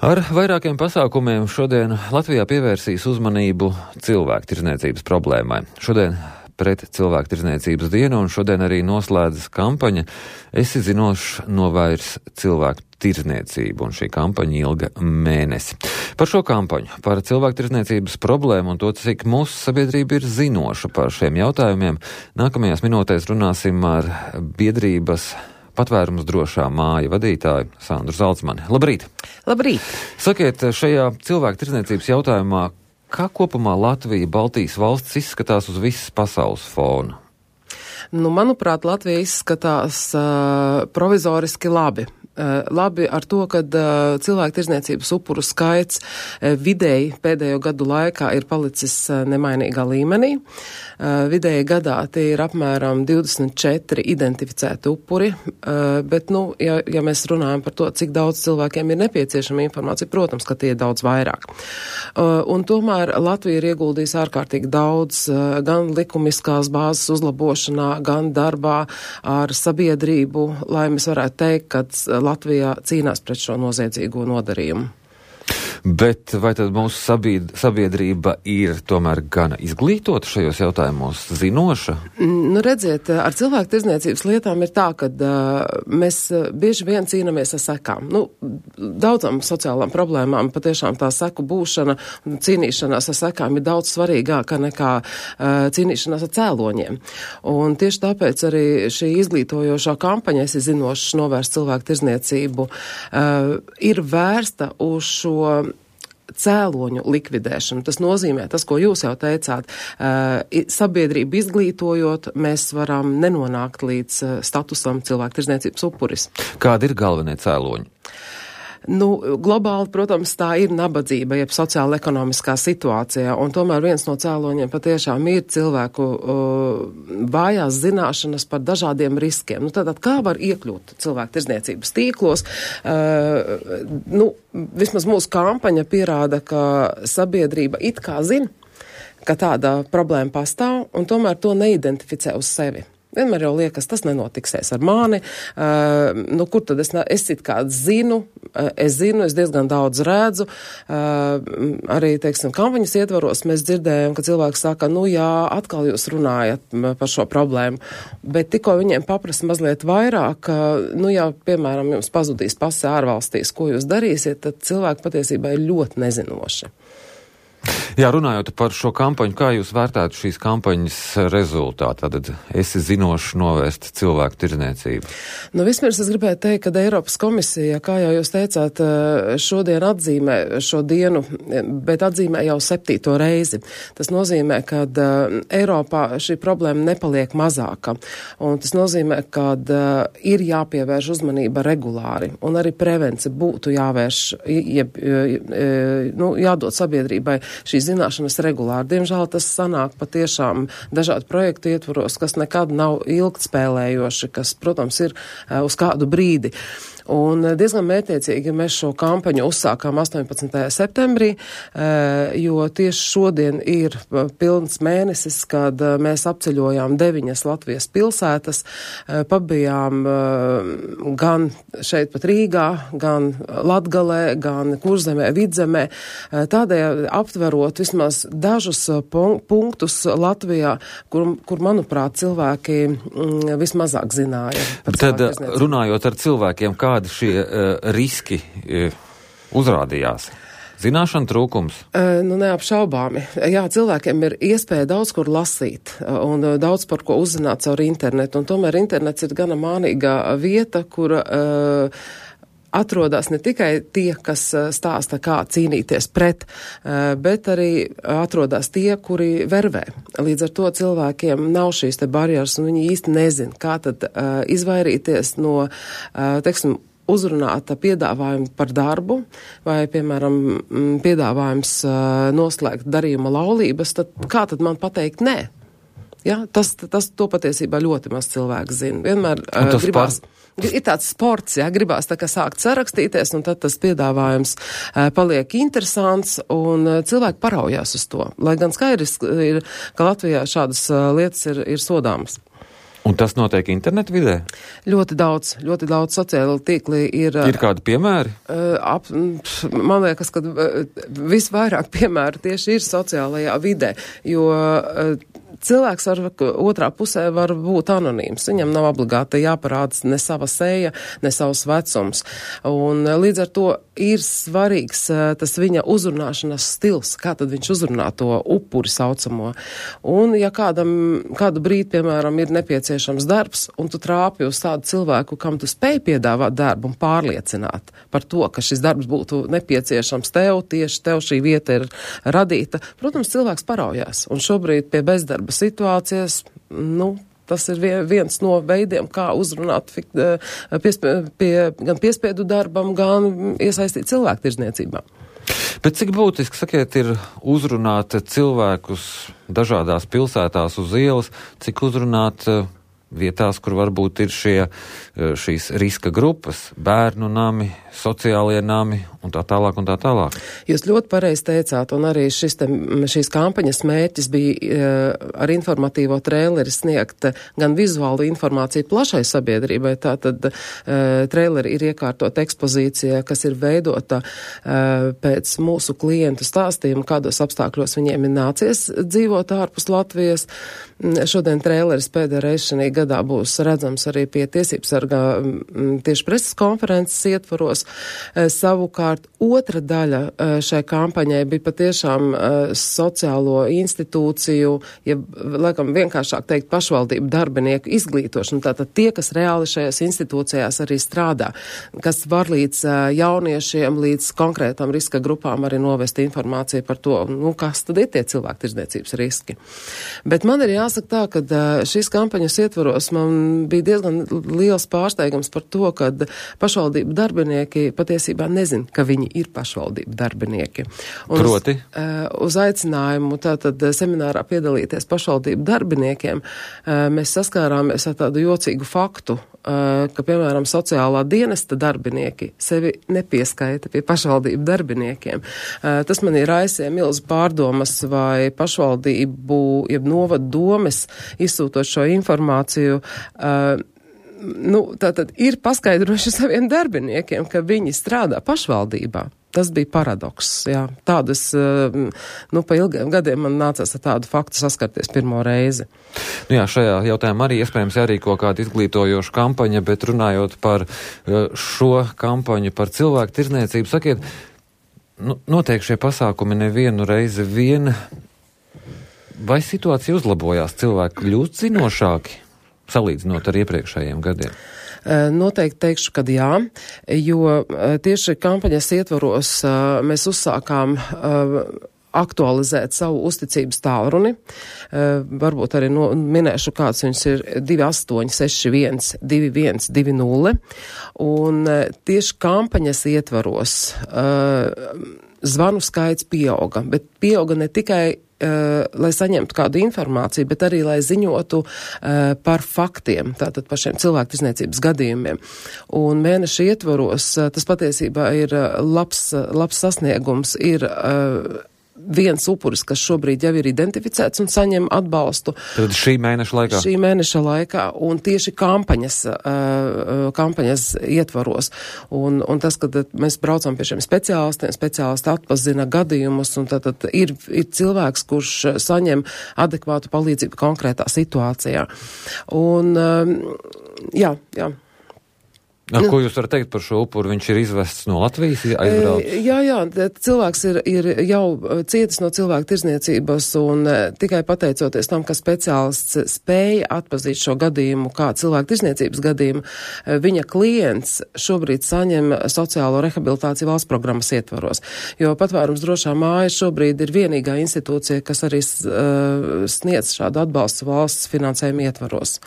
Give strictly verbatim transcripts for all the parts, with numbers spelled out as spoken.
Ar vairākiem pasākumiem šodien Latvijā pievērsīs uzmanību cilvēku tirdzniecības problēmai. Šodien pret cilvēku tirdzniecības dienu un šodien arī noslēdzas kampaņa Esi zinošs, novairs cilvēku tirdzniecību, un šī kampaņa ilga mēnesi. Par šo kampaņu, par cilvēku tirdzniecības problēmu un to, cik mūsu sabiedrība ir zinoša par šiem jautājumiem, nākamajās minūtēs runāsim ar biedrības Patvērums drošā māja vadītāju Sandru Zalcmani. Labrīt! Labrīt! Sakiet, šajā cilvēku tirdzniecības jautājumā, kā kopumā Latvija, Baltijas valsts izskatās uz visas pasaules fona? Nu, manuprāt, Latvija izskatās uh, provizoriski labi. Uh, labi ar to, ka uh, cilvēku tirdzniecības upuru skaits uh, vidēji pēdējo gadu laikā ir palicis uh, nemainīgā līmenī. Uh, vidēji gadā tie ir apmēram divdesmit četri identificēti upuri, uh, bet, nu, ja, ja mēs runājam par to, cik daudz cilvēkiem ir nepieciešama informācija, protams, ka tie ir daudz vairāk. Uh, un tomēr Latvija ir ieguldījusi ārkārtīgi daudz uh, gan likumiskās bāzes uzlabošanā, gan darbā ar sabiedrību, lai mēs varētu teikt, ka Latvijā cīnās pret šo noziedzīgo nodarījumu. Bet vai tad mūsu sabied, sabiedrība ir tomēr gana izglītota šajos jautājumos, zinoša? Nu, redziet, ar cilvēku tirdzniecības lietām ir tā, ka uh, mēs bieži vien cīnāmies ar sekām. Nu, daudzām sociālām problēmām patiešām tā seku būšana un cīnīšanās ar sekām ir daudz svarīgāka nekā uh, cīnīšanās ar cēloņiem. Un tieši tāpēc arī šī izglītojošā kampaņa, Esi zinošs, novērst cilvēku tirdzniecību, uh, ir vērsta uz šo cēloņu likvidēšanu. Tas nozīmē, tas, ko jūs jau teicāt, uh, sabiedrību izglītojot, mēs varam nenonākt līdz uh, statusam cilvēku tirdzniecības upuris. Kādi ir galvenie cēloņi? Nu, globāli, protams, tā ir nabadzība, jeb sociāla ekonomiskā situācijā, un tomēr viens no cēloņiem patiešām ir cilvēku uh, vājās zināšanas par dažādiem riskiem. Nu, tātad, kā var iekļūt cilvēku tirdzniecības tīklos? Uh, nu, vismaz mūsu kampaņa pierāda, ka sabiedrība it kā zina, ka tāda problēma pastāv, un tomēr to neidentificē uz sevi. Vienmēr jau liekas, tas nenotiksies ar mani, uh, nu, kur tad es, es it kā zinu, uh, es zinu, es diezgan daudz redzu, uh, arī, teiksim, kampaņas ietvaros mēs dzirdējam, ka cilvēki saka, nu jā, atkal jūs runājat par šo problēmu, bet tikko viņiem paprasa mazliet vairāk, uh, nu jā, piemēram, jums pazudīs pase ārvalstīs, ko jūs darīsiet, tad cilvēki patiesībā ir ļoti nezinoši. Jā, runājot par šo kampaņu, kā jūs vērtētu šīs kampaņas rezultātu? Tad Esi zinošs, novērst cilvēku tirdzniecību. Nu, vispirms es gribētu teikt, ka Eiropas komisija, kā jau jūs teicāt, šodien atzīmē šo dienu, bet atzīmē jau septīto reizi. Tas nozīmē, ka Eiropā šī problēma nepaliek mazāka. Un tas nozīmē, ka ir jāpievērš uzmanība regulāri. Un arī prevenci būtu jāvērš, jeb, nu, jādod sabiedrībai šīs zināšanas regulāri. Diemžēl tas sanāk patiešām dažādu projektu ietvaros, kas nekad nav ilgtspēlējoši, kas, protams, ir uz kādu brīdi. Un diezgan mērķiecīgi mēs šo kampaņu uzsākām astoņpadsmitajā septembrī, jo tieši šodien ir pilns mēnesis, kad mēs apceļojām deviņas Latvijas pilsētas, pabijām gan šeit pat Rīgā, gan Latgalē, gan Kurzemē, Vidzemē, tādēļ aptverot vismaz dažus punktus Latvijā, kur, kur manuprāt, cilvēki vismazāk zināja. Tad runājot ar cilvēkiem, kā kādi šie uh, riski uh, uzrādījās? Zināšana trūkums? Uh, nu, neapšaubāmi. Jā, cilvēkiem ir iespēja daudz kur lasīt un uh, daudz par ko uzzināt caur internetu, un tomēr internets ir gana mānīgā vieta, kur uh, atrodas ne tikai tie, kas stāsta, kā cīnīties pret, bet arī atrodas tie, kuri vervē. Līdz ar to cilvēkiem nav šīs te barjeras, un viņi īsti nezin, kā tad uh, izvairīties no, uh, teiksim, uzrunāta piedāvājuma par darbu, vai, piemēram, piedāvājums uh, noslēgt darījuma laulības, tad kā tad man pateikt nē? Ja, tas, tas to patiesībā ļoti maz cilvēks zina. Vienmēr uh, gribās, par... ir tāds sports, ja, gribās tā kā sākt sarakstīties, un tad tas piedāvājums uh, paliek interesants, un uh, cilvēki paraujās uz to. Lai gan skaidrs ir, ka Latvijā šādas uh, lietas ir, ir sodāmas. Un tas notiek internetu vidē? Ļoti daudz, ļoti daudz sociāli tīkli ir. Ir kādi piemēri? Uh, ap, man liekas, ka uh, visvairāk piemēru tieši ir sociālajā vidē, jo uh, cilvēks ar otrā pusē var būt anonīms. Viņam nav obligāti jāparādas ne sava seja, ne savs vecums. Un uh, līdz ar to ir svarīgs uh, tas viņa uzrunāšanas stils, kā tad viņš uzrunā to upuri saucamo. Un ja kādam, kādu brīdi, piemēram, ir nepieciešams darbs, un tu trāpi uz tādu cilvēku, kam tu spēj piedāvāt darbu un pārliecināt par to, ka šis darbs būtu nepieciešams tev, tieši tev šī vieta ir radīta, protams, cilvēks paraujās. Un šobrīd pie bezdarba situācijas, nu, tas ir viens no veidiem, kā uzrunāt piespie, pie, gan piespiedu darbam, gan iesaistīt cilvēku tirdzniecībā. Bet cik būtiski, sakiet, ir uzrunāt cilvēkus dažādās pilsētās uz ielas, cik uzrunāt vietās, kur varbūt ir šie, šīs riska grupas, bērnu nami, sociālie nami un tā tālāk un tā tālāk. Jūs ļoti pareizi teicāt, un arī šis te, šīs kampaņas mērķis bija ar informatīvo trēleri sniegt gan vizuālu informāciju plašai sabiedrībai, tātad trēleri ir iekārtot ekspozīcija, kas ir veidota pēc mūsu klientu stāstījumu, kādos apstākļos viņiem ir nācies dzīvot ārpus Latvijas. Šodien trēleris pēdējā reize šajā gadā būs redzams arī pie tiesības sargā tieši preses konferences ietvaros. Savukārt otra daļa šai kampaņai bija patiešām sociālo institūciju, ja laikam vienkāršāk teikt pašvaldību darbinieku izglītošana. Tātad tie, kas reāli šajās institūcijās arī strādā, kas var līdz jauniešiem, līdz konkrētām riska grupām arī novest informāciju par to, nu, kas tad ir tie cilvēku tirdzniecības riski. Bet man ir jāsaka tā, ka šīs kampaņas ietvaros man bija diezgan liels pārsteigums par to, ka pašvaldību darbinieki patiesībā nezin, ka viņi ir pašvaldību darbinieki. Un Proti? Uz, uz aicinājumu tātad seminārā piedalīties pašvaldību darbiniekiem mēs saskārāmies ar tādu jocīgu faktu, ka, piemēram, sociālā dienesta darbinieki sevi nepieskaita pie pašvaldību darbiniekiem. Tas man ir raisīja milz pārdomas, vai pašvaldību, jeb novadu domes izsūtot šo informāciju, nu, tātad ir paskaidrojuši saviem darbiniekiem, ka viņi strādā pašvaldībā. Tas bija paradoks, jā. Tādas, nu, pa ilgiem gadiem man nācās ar tādu faktu saskarties pirmo reizi. Nu jā, šajā jautājumā arī iespējams jārīko kāda izglītojoša kampaņa, bet runājot par šo kampaņu par cilvēku tirdzniecību, sakiet, nu, notiek šie pasākumi nevienu reizi vien, vai situācija uzlabojās, cilvēki kļūst zinošāki, salīdzinot ar iepriekšējiem gadiem? Noteikti teikšu, ka jā, jo tieši kampaņas ietvaros mēs uzsākām aktualizēt savu uzticības tālruni. Varbūt arī no, minēšu, kāds viņš ir divi astoņi seši viens divi viens divi nulle. Un tieši kampaņas ietvaros zvanu skaits pieauga, bet pieauga ne tikai Uh, lai saņemtu kādu informāciju, bet arī, lai ziņotu uh, par faktiem, tātad par šiem cilvēktirdzniecības gadījumiem. Un mēneša ietvaros uh, tas patiesībā ir uh, labs, uh, labs sasniegums, ir uh, viens upuris, kas šobrīd jau ir identificēts un saņem atbalstu. Tad šī mēneša laikā? Šī mēneša laikā, un tieši kampaņas, uh, kampaņas ietvaros. Un, un tas, kad mēs braucam pie šiem speciālistiem, speciālisti atpazina gadījumus, un tad, tad ir, ir cilvēks, kurš saņem adekvātu palīdzību konkrētā situācijā. Un, um, jā, jā. Na, ko jūs varat teikt par šo upuru? Viņš ir izvests no Latvijas, aizbraucis? Jā, jā, cilvēks ir, ir jau cietis no cilvēku tirdzniecības, un tikai pateicoties tam, ka speciālists spēja atpazīt šo gadījumu kā cilvēku tirdzniecības gadījumu, viņa klients šobrīd saņem sociālo rehabilitāciju valsts programmas ietvaros. Jo patvērums drošā māja šobrīd ir vienīgā institūcija, kas arī uh, sniedz šādu atbalstu valsts finansējumu ietvaros.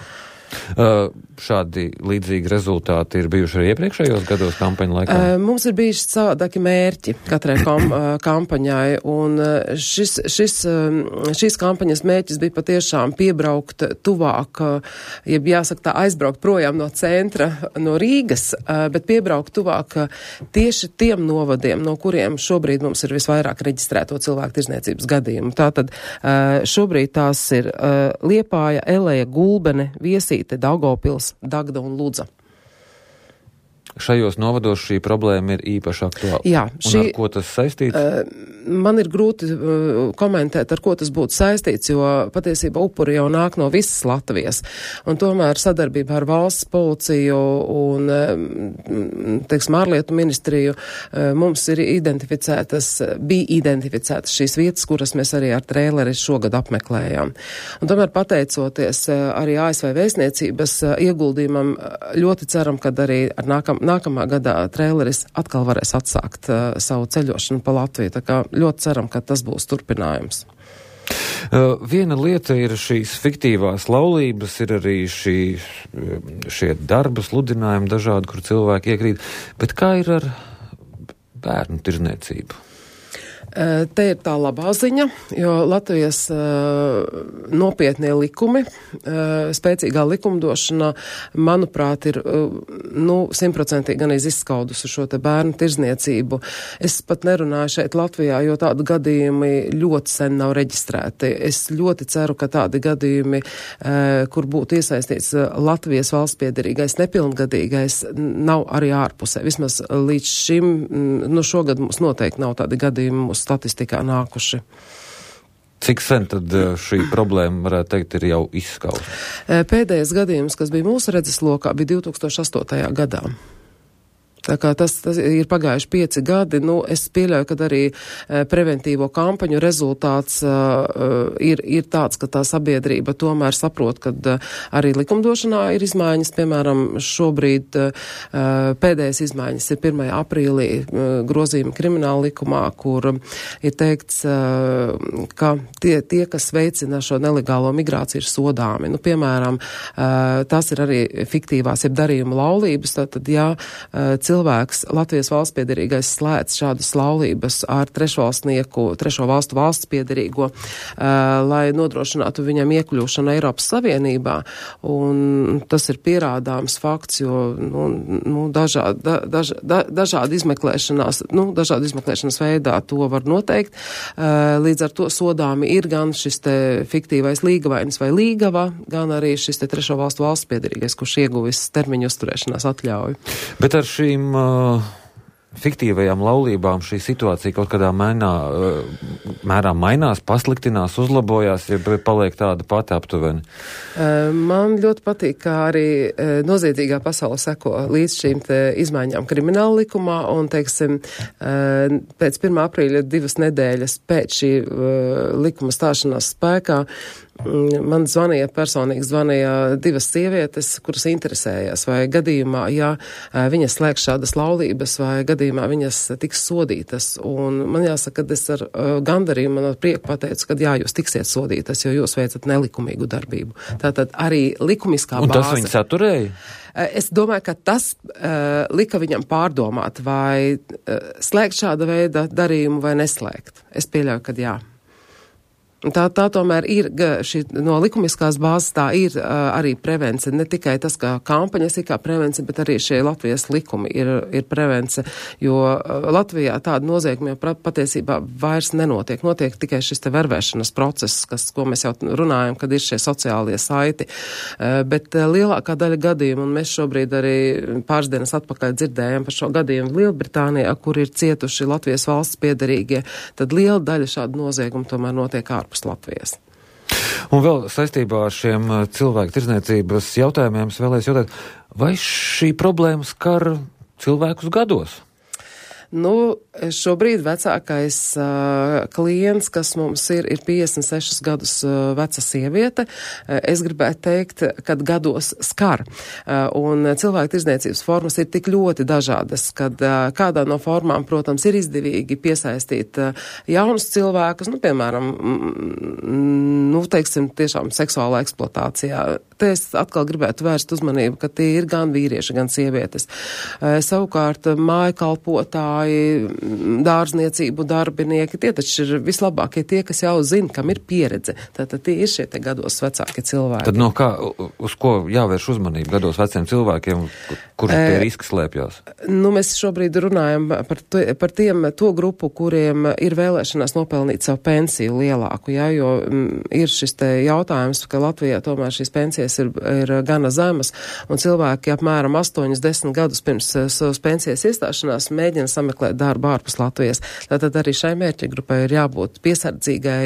Uh, šādi līdzīgi rezultāti ir bijuši arī iepriekšējos gados kampaņu laikā? Uh, mums ir bijuši savādāki mērķi katrai kom, uh, kampaņai, un uh, šis, šis, uh, šīs kampaņas mērķis bija patiešām piebraukt tuvāk, uh, jeb jāsaka tā aizbraukt projām no centra, no Rīgas, uh, bet piebraukt tuvāk uh, tieši tiem novadiem, no kuriem šobrīd mums ir visvairāk reģistrēto cilvēku tirdzniecības gadījumu. Tātad uh, šobrīd tās ir uh, Liepāja, Eleja, Gulbene, Viesī, Tīrīte, Daugavpils, Dagda un Ludza. Šajos novados šī problēma ir īpaši aktuāla. Jā, šī, un ar ko tas saistīts? Uh, man ir grūti uh, komentēt, ar ko tas būtu saistīts, jo patiesībā upuri jau nāk no visas Latvijas. Un tomēr sadarbībā ar valsts policiju un, uh, teiksim, ārlietu ministriju uh, mums ir identificētas, bija identificētas šīs vietas, kuras mēs arī ar trēleri šogad apmeklējām. Un tomēr pateicoties uh, arī A S V vēstniecības uh, ieguldījumam, uh, ļoti ceram, kad arī ar nākam Nākamā gadā trēleris atkal varēs atsākt uh, savu ceļošanu pa Latviju, tā kā ļoti ceram, ka tas būs turpinājums. Uh, viena lieta ir šīs fiktīvās laulības, ir arī šī, šie darba sludinājumi dažādi, kur cilvēki iekrīt, bet kā ir ar bērnu tirzniecību? Te ir tā labā ziņa, jo Latvijas uh, nopietnie likumi, uh, spēcīgā likumdošana, manuprāt, ir uh, nu, simtprocentīgi gan izskaudusi šo te bērnu tirzniecību. Es pat nerunāju šeit Latvijā, jo tādi gadījumi ļoti sen nav reģistrēti. Es ļoti ceru, ka tādi gadījumi, uh, kur būtu iesaistīts Latvijas valsts piederīgais nepilngadīgais, nav arī ārpusē. Vismaz līdz šim, nu šogad mums noteikti nav tādi gadījumi statistikā nākuši. Cik sen tad šī problēma, varētu teikt, ir jau izskausta? Pēdējais gadījums, kas bija mūsu redzeslokā, bija divi tūkstoši astotajā gadā. Tā kā tas, tas ir pagājuši pieci gadi, nu, es pieļauju, ka arī e, preventīvo kampaņu rezultāts e, ir, ir tāds, ka tā sabiedrība tomēr saprot, ka e, arī likumdošanā ir izmaiņas. Piemēram, šobrīd e, pēdējais izmaiņas ir pirmajā aprīlī e, grozījuma krimināla likumā, kur ir teikts, e, ka tie, tie, kas veicina šo nelegālo migrāciju, ir sodāmi. Nu, piemēram, e, tās ir arī fiktīvās, jeb darījuma laulības, tātad, ja e, cilvēks, Latvijas valsts piederīgais, slēdz šādas laulības ar trešvalstnieku, trešo valstu valsts piederīgo, uh, lai nodrošinātu viņam iekļūšanu Eiropas Savienībā. Un tas ir pierādāms fakts, jo nu, nu, dažādi, da, daž, da, dažādi izmeklēšanās, nu, dažādi izmeklēšanas veidā to var noteikt. Uh, līdz ar to sodāmi ir gan šis te fiktīvais līgavainis vai līgava, gan arī šis te trešo valstu valsts piederīgais, kurš ieguvis termiņu uzturēšanās atļauju. Bet ar šīm uh, fiktīvajām laulībām šī situācija kaut kādā mainā, uh, mērā mainās, pasliktinās, uzlabojās, ja paliek tāda pati aptuveni? Uh, man ļoti patīk, kā arī uh, noziedzīgā pasaule seko līdz šīm te izmaiņām krimināla likumā, un, teiksim, uh, pēc pirmā aprīļa divas nedēļas pēc šī uh, likuma stāšanās spēkā man zvanīja, personīgi zvanīja divas sievietes, kuras interesējās, vai gadījumā, ja viņas slēgs šādas laulības, vai gadījumā viņas tiks sodītas. Un man jāsaka, ka es ar gandarījumu, man ar prieku pateicu, ka jā, jūs tiksiet sodītas, jo jūs veicat nelikumīgu darbību. Tātad arī likumiskā bāze. Un tas viņu saturēja? Es domāju, ka tas uh, lika viņam pārdomāt, vai uh, slēgt šāda veida darījumu vai neslēgt. Es pieļauju, ka jā. Tā, tā tomēr ir, šī, no likumiskās bāzes tā ir uh, arī prevence, ne tikai tas, kā kampaņas ir kā prevence, bet arī šie Latvijas likumi ir, ir prevence, jo uh, Latvijā tāda nozieguma jau patiesībā vairs nenotiek. Notiek tikai šis te vervēšanas process, kas, ko mēs jau runājam, kad ir šie sociālie saiti. Uh, bet uh, lielākā daļa gadījumu, un mēs šobrīd arī pāris dienas atpakaļ dzirdējam par šo gadījumu Lielbritānijā, kur ir cietuši Latvijas valsts piederīgie, tad liela daļa šādu noziegumu tomēr notiek ārpus Latvijas. Un vēl saistībā ar šiem cilvēku tirdzniecības jautājumiem es vēlēs jautāt, vai šī problēma skar cilvēkus gados? Nu, šobrīd vecākais uh, klients, kas mums ir, ir piecdesmit sešus gadus uh, veca sieviete. Uh, es gribētu teikt, kad gados skar. Uh, un cilvēku tirdzniecības formas ir tik ļoti dažādas, kad uh, kādā no formām, protams, ir izdevīgi piesaistīt uh, jaunus cilvēkus, nu, piemēram, mm, nu, teiksim, tiešām seksuālā eksploatācijā. Te es atkal gribētu vērst uzmanību, ka tie ir gan vīrieši, gan sievietes. Uh, savukārt, māju kalpotāji, dārzniecību darbinieki, tie taču ir vislabākie tie, kas jau zina, kam ir pieredze. Tātad tie ir šie te gados vecāki cilvēki. Tad no kā, uz ko jāvērš uzmanību gados veciem cilvēkiem, kur tie e, riski slēpjās? Nu, mēs šobrīd runājam par, to, par tiem, to grupu, kuriem ir vēlēšanās nopelnīt savu pensiju lielāku, jā, jo m, ir šis te jautājums, ka Latvijā tomēr šīs pensijas ir, ir gana zemas, un cilvēki apmēram astoņus, desmit gadus pirms savas pensijas iestāšanās mēģina sameklēt darbu ārpus Latvijas. Tātad arī šai mērķa grupai ir jābūt piesardzīgai,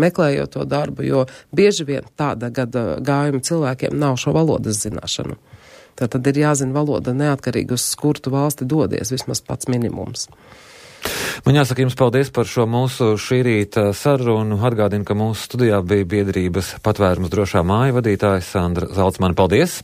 meklējot to darbu, jo bieži vien tāda gada gājuma cilvēkiem nav šo valodas zināšanu. Tātad ir jāzina valoda neatkarīgi uz kurtu valsti dodies, vismaz pats minimums. Man jāsaka jums paldies par šo mūsu šī rīta sarunu. Atgādinu, ka mūsu studijā bija biedrības Patvērums drošā māja vadītājs Sandra Zalcmane. Paldies!